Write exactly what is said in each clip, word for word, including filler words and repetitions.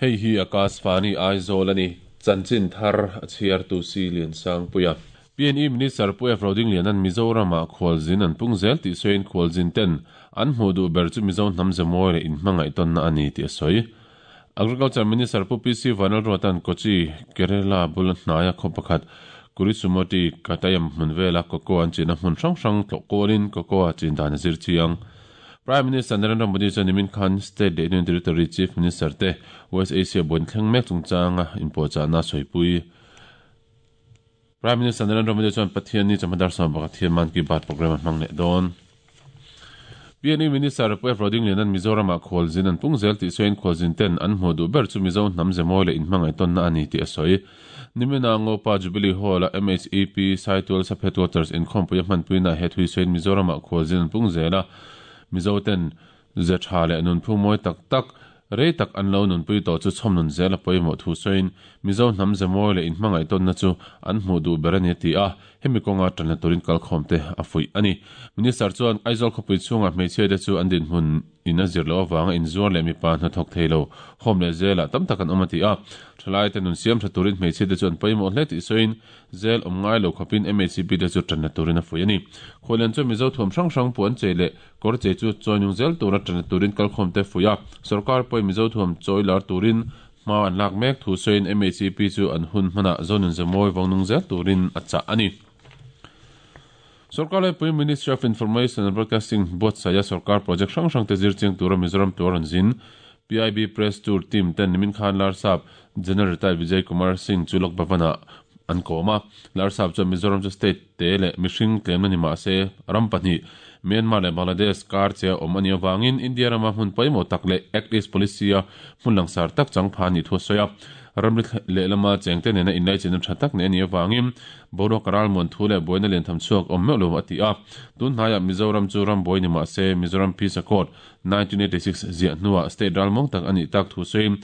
Hei hi Akashvani Aizawl ani chanchin thar a chhiar tu si lian sang puia P N E Minister Pu F Rodinglian an Mizoram ah khualzin an pung zel tih sawiin khualzin ten an hmuh duh ber chu Mizo hnam zemawi leh inhmangaih tawnna a ni tih a sawi. Agriculture Minister Pu P C Vanlalruatan Kochi, Kerala bul hnaia khaw pakhat Kurisumoti Katayam hmun vela cocoa an chinna hmun hrang hrang tlawh kawlin cocoa chin dan a zir chiang. Prime Minister Narendra Modi chuan nimin khan State leh Union Territory Chief Minister te West Asia buan thleng mek chungchanga inpuahchahna sawipui. Prime Minister Narendra Modi chuan Pathian ni chawhma dar sawm pakhat hian Mann Ki Baat program a hmang leh dawn. P N E Minister Pu F Rodinglian an Mizoram ah khualzin an pung zel tih sawiin khualzin ten an hmuh duh ber chu Mizo hnam zemawi leh inhmangaih tawnna a ni tih a sawi. Nimina Ngopa Jubilee Hall a M H E P Saitual Sub Headquarters inkhawmpui a hmanpuina he thui sawiin Mizoram ah khualzin an pung zel a Mizo ten ze tha leh nunphung mawi tak tak rei tak an lo nunpui tawh chu chhawm nun zel a pawimawh thu sawiin Mizo hnam zemawi leh inhmangaih tawnna chu an hmuh duh ber a ni a ti a, hemi kawnga tanna turin kalkhawm te a fuih a ni. Minister chuan Aizawl khawpui chhungah hmeichhia te chu an dinhmun in a zir loh avanga inzuar leh mipa hnathawk thei lo hawm leh zelah tam tak an awm a ti a, thalai te nun siam tha turin hmeichhia te chu an pawimawh hle tih sawiin zel awm ngai lo khawpin M H C P te chu tanna turin a fuih a ni. Khualian chuan Mizo thuam hrang hrang puan chei leh kawr chei chu chawi nung zel tura tanna turin kalkhawm te fuih a, sarkar pawhin Mizo thuam chawi lar turin hma an lak mek thu sawiin M H C P chu an hun hmanah zonun zemawi vawngnung zel turin a chah a ni. Sarkar laipui Ministry of Information and Broadcasting buatsaia sarkar project hrang hrang te zir chiang tura Mizoram tur an zin. P I B Press Tour team ten nimin khan Larsap General Retired Vijay Kumar Singh chu Lok Bhavan-ah an kawm a. Larsap chuan Mizoram chu state te leh mihring tlemna ni mah se ram pahnih Myanmar leh Bangladesh kar che a awm a nih avangin India rama hmun pawimawh tak leh Act East Policy a hmun langsar tak chang pha ni thu a sawi a. Ramri leh lama chengte nena inlaichina tha tak nei a nih avangin boruak ral muan thu leh buaina lian tham chhuak awm meuh lo a ti a. Tun hnaiah Mizoram chu ram buai ni mah se Mizoram Peace Accord nineteen eighty-six ziah hnuah state ral mawng tak a nih tak thu sawiin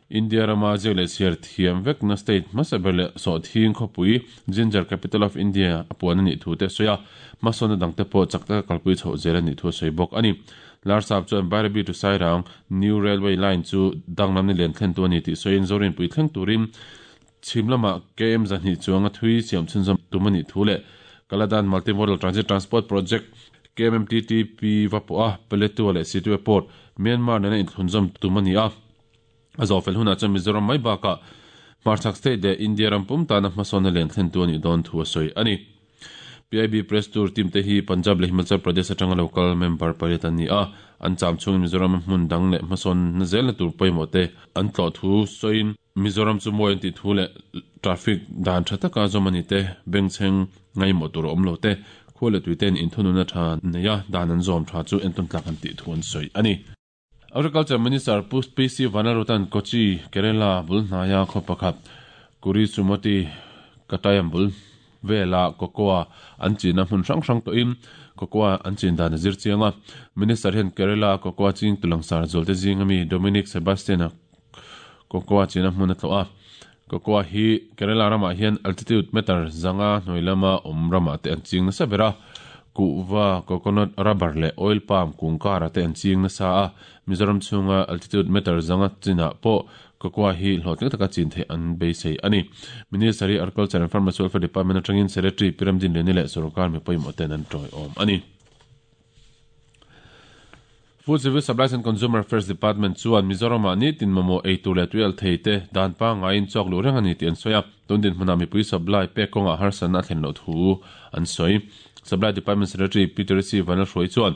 India rama ziak leh chhiar thiam vekna state hmasa ber leh sawhthing khawpui Ginger Capital of India a puan a nih thu te sawi a, hmasawnna dangte pawh chak taka kalpui chhoh zel a nih thu a sawi bawk a ni. Larsap chuan Bairabi to Sairang New Railway Line chu danglam ni lian thlen tu a ni tih sawiin Zorinpui thleng turin chhim lamah K M zahnih chuanga thui siam chhunzawm tum a nih thu leh Kaladan Multimodal Transit Transport Project K M M T T P va pawh a Paletwa leh Sittwe Port Myanmar nena inthlunzawm tum a ni a. A zawhfel hunah chuan Mizoram mai bakah Hmarchhak State leh India ram pum tana hmasawnna lian thlen tu a nih dawn thu a sawi a ni. P I B Press Tour team te hi Punjab leh Himachal Pradesh atanga local member pariat an ni a, an cham chhungin Mizoram hmun dang leh hmasawnna zelna tur pawimawh te an tlawh thu sawiin Mizoram chu mawi an tih thu leh traffic dan tha taka zawm a ni te, bengchheng ngaimawh tur a awm lo te, khual leh tuiten inthununa tha nei a dan an zawm tha chu entawn tlak an tih thu an sawi a ni. Agriculture Minister Pu P C Vanlalruatan Kochi, Kerala bul hnaia khaw pakhat Kurisumoti Katayam bul vela cocoa an chinna hmun hrang hrang tawhin cocoa an chin dan a zir chiang a. Minister hian Kerala cocoa ching tulangsar zualte zinga mi Dominic Sebastian a cocoa chinna hmun a tlawh a. Cocoa hi Kerala ramah hian altitude meter zanga hnuai lama awm ramah te an ching nasa ber a. Kuhva, coconut, rubber leh oil palm kungkara te an ching nasa a. Mizoram chhunga altitude meter zanga chinah pawh cocoa hi hlawhtling taka chin theih an beisei a ni. Minister hi Agriculture and Farmers Welfare Department atangin Secretary Piramdin Leni leh sarkar mi pawimawh ten an tawi awm a ni. Food Civil Supplies and Consumer Affairs Department chuan Mizoramah nitin mamawh eitur leh tuial thei te dan pangaiin chawk luh reng a ni tih an sawi a. Tun dinhmunah mipui supply pek kawngah harsatna a thlen loh thu an sawi. Supply Department Secretary Peter C. Vanlalhruai chuan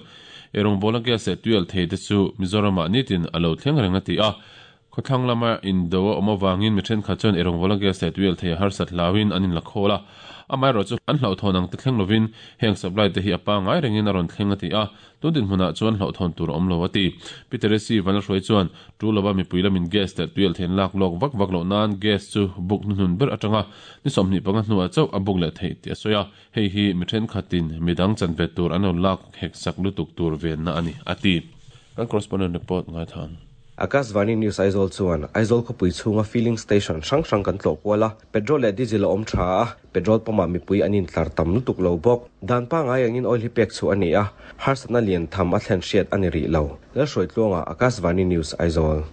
erong bola gas leh tuial thei te chu Mizoramah nitin a lo thleng reng a ti a. Khawthlang lama indo a awm avangin mi thenkhat chuan erong bola gas leh tuial thei a harsat hlauin an inla khawl a. Amaherawh chu an hlauhthawn ang te thleng lovin heng supply te hi a pangai rengin a rawn thleng a ti a. Tun dinhmunah chuan hlauhthawn tur a awm lo a ti. Peter C. Vanlalhruai chuan tu lova mipui lamin gas leh tuial thei an lak lawk vak vak loh nan gas chu buk hnuhnun ber atanga ni sawmhnih panga hnuah chauh a buk leh theih tih a sawi a. Hei hi mi thenkhatin midang chanve tur an lo lak hek sak lutuk tur venna a ni a ti. Kan correspondent report ngai than. Akashvani News Aizawl chuan Aizawl khawpui chhunga filling station hrang hrang kan tlawh kual a, petrol leh diesel a awm tha a, petrol pump ah mipui an intlar tam lutuk lo bawk. Dan pangai angin oil hi pek chu a ni a, harsatna lian tham a thlen hriat a ni rih lo. Lalhruai tluangah Akashvani News Aizawl.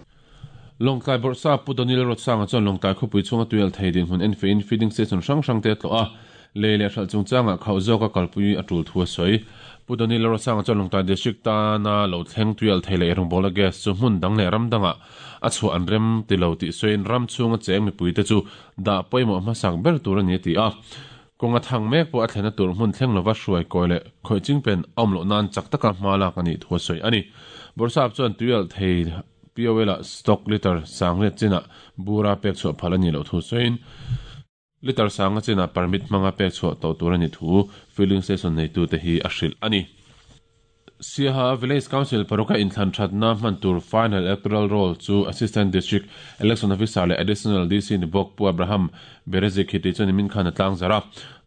Lawngtlai Bawrhsap Pu Donil Rotsanga chuan Lawngtlai khawpui chhunga tuial thei dinhmun enfein feeding station hrang hrang te tlawh a, lei leh hralh chungchangah khauh zawka kalpui a tul thu a sawi. Pu Donil Rotsanga chuan Lawngtlai District tana lo thleng tuial thei leh rawngbawlna gas chu hmun dang leh ram dangah a chhuah an rem ti lo tih sawiin ram chhunga cheng mipuite chu dah pawimawh hmasak ber tur a ni a ti a. Kawnga thang mek pawh a thlena tur hmun thleng lova hruai kawi leh khawih chingpen a awm loh nan chak taka hma lak a nih thu a sawi a ni. Bawrhsap chuan tuial thei P O L a stock liter sangriat chinah bura pek chhuah phal a nih loh thu sawiin liter sanga chinah permit hmanga pek chhuah tawh tur a ni thu filling station neitute hi a hrilh a ni. Siaha Village Council paruka inthlan thatna hman tur final electoral roll chu Assistant District Election Officer leh Additional D C ni bawk Pu Abraham Berezikhiti chuan nimin khan a tlang zar a.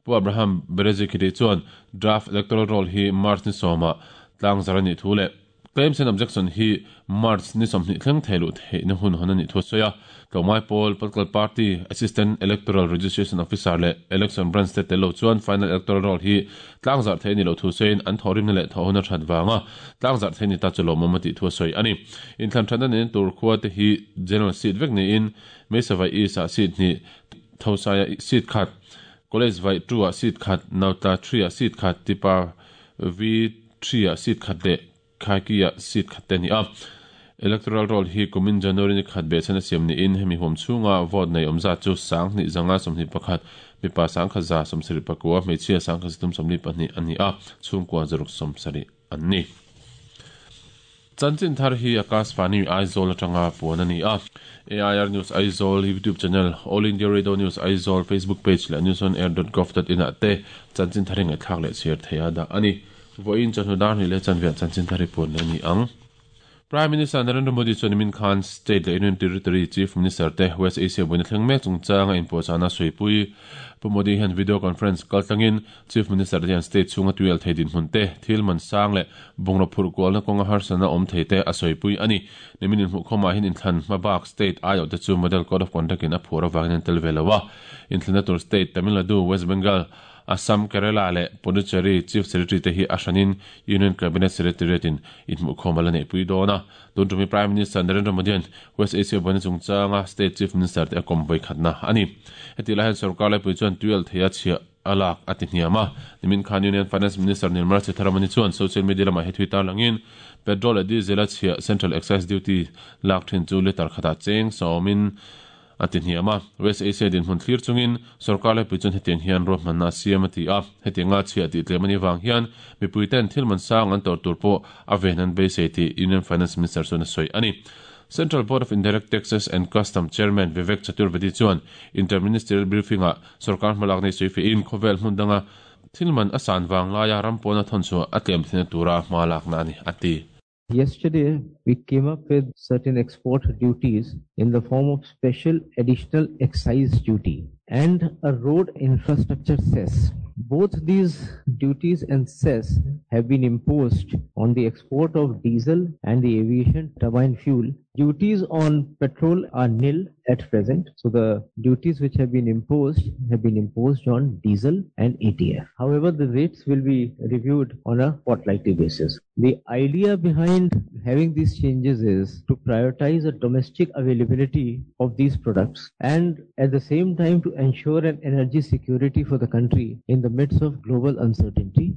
Pu Abraham Berezikhiti chuan draft electoral roll hi March ni sawmah tlang zar a nih thu leh claims and objection hi March ni sawmhnih thleng thei luh theihna hun hawn a nih thu a sawi a. Tlawmai Pawl Political Party Assistant Electoral Registration Officer leh Election Branch te tel lo chuan final electoral roll hi tlang zarh thei a ni loh thu sawiin an thawhrimna leh thawhhun a that vanga tlang zarh thei ni ta chu lawmawm a tih thu a sawi a ni. Inthlan thatna nen tur khua te hi general seat vek niin Meisavai East ah seat hnih, Thosaia seat khat, College Vai two ah seat khat, Nautla three ah seat khat, Tipa V three ah seat khat leh Khaiki ah seat khat te ni a. Electoral roll hi kumin January ni khat be chana siam ni in hemi huam chhunga vote nei awm zat chu sang hnih zanga sawmhnih pakhat mipa sang khat za sawmsarih pakua hmeichhia sang khat zathum sawmli pahnih a ni a, chhungkua zaruk sawmsarih an ni. Chanchin thar hi Akashvani Aizawl atanga puan a ni a. A I R News Aizawl YouTube channel, All India Radio News Aizawl Facebook page leh news on air dot gov dot in ah te chanchin thar hi ngaihthlak leh chhiar thei a dah a ni. Vawiin chawhnu dar hnih leh chanveah chanchin thar hi puan leh a ni ang. Prime Minister Narendra Modi chuan nimin khan State leh Union Territory Chief Minister te West Asia buaina thleng mek chungchanga inpuahchahna sawi Pu Modi hian video conference kaltlangin Chief Minister te hian state chhunga tuial thei dinhmun te thil man sang leh bungraw phurh kualna kawnga harsatna awm thei te a sawipui a ni. Nimin inhmuhkhawmah hian inthlan hmabak state ai awh te chu Model Code of Conduct in a phur avangin an tel ve lo a. Inthlanna tur state Tamil Nadu, West Bengal, Assam, Kerala leh Pondicherry Chief Secretary te hi a hranin Union Cabinet Secretariat in inhmuhkhawm a la neihpui dawn a. Tun tumi Prime Minister Narendra Modi an West Asia buaina chungchanga State Chief Minister te a kawm vawi khatna a ni. Heti lai hian sarkar laipui chuan tuial thei a chhiah a lak a ti hniam a. Nimin khan Union Finance Minister Nirmala Sitharaman chuan social media lamah he thui tar langin petrol leh diesel a chhiah Central Excise Duty lak thin chu liter khatah cheng sawmin a ti hniam a. West Asia dinhmun thlir chungin sarkar laipui chuan hetiang hian ruahmanna a siam a ti a. Hetianga chhiah tih tlem a ni vang hian mipui ten thil man sang an tawr tur pawh a ven an beisei tih Union Finance Minister chuan a sawi a ni. Central Board of Indirect Taxes and Custom Chairman Vivek Chaturvedi chuan interministerial briefing ah sarkar hmalak nei sawi fein khawvel hmun danga thil man a san wang laia rampawna thawn chu a tlem thina tura hma lakna a ni a ti. Yesterday, we came up with certain export duties in the form of special additional excise duty and a road infrastructure cess. Both these duties and cess have been imposed on the export of diesel and the aviation turbine fuel. Duties on petrol are nil at present. So the duties which have been imposed have been imposed on diesel and A T F. However, the rates will be reviewed on a fortnightly basis. The idea behind having these changes is to prioritize the domestic availability of these products and at the same time to ensure an energy security for the country in the midst of global uncertainty.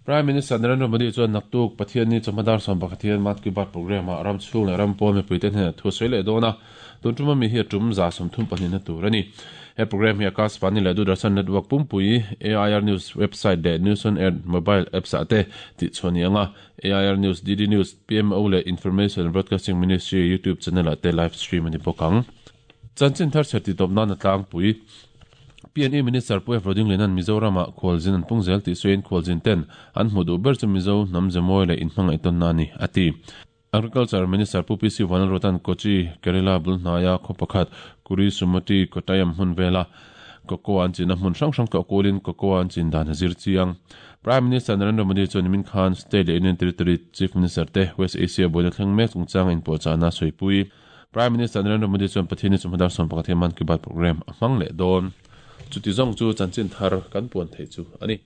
Prime Minister Narendra Modi chuan naktuk Pathian ni chawhmadar sawm pakhat hian Mann Ki Baat program ah ram chhung leh ram pawn mipui te hnenah thu sawi leh dawn a. Tun tuma mi hi a tum za sawmthum pahnih na tur a ni. He program hi Akashvani leh Doordarshan Network pumpui A I R News website leh News on Air mobile apps ah te tih chhuah ni anga. A I R News, D D News, P M O leh Information Broadcasting Ministry YouTube channel ah te live stream a ni bawk ang. Chanchin thar chher ti tawp nan a tlangpui P N E Minister Pu F Roding Lenan Mizoram ah khawlzin an pungzel tih sawiin khawlzin ten an hmu duh ber chu Mizo hnam zemawi leh inhmangaih tawn na ni a ti. Agriculture Minister Pu P C Vanlalruatan Kochi Kerala bulhnaya khaw pakhat Kuri Sumati Kottayam hmun vela cocoa an chin a hmun hrang hrang tlawh kulin cocoa an chin dan a zir chiang. Prime Minister Narendra Modi chuan nimin khan State leh Union Territory Chief Minister te West Asia buaina thleng mek chungchanga inpuahchahna sawi Prime Minister Narendra Modi chuan Pathian ni chawhmadar sawm pakhat hian Mann Ki Baat program a hmang leh dawn. Chuti zawng chu chanchin thar kan puan thei chu a ni.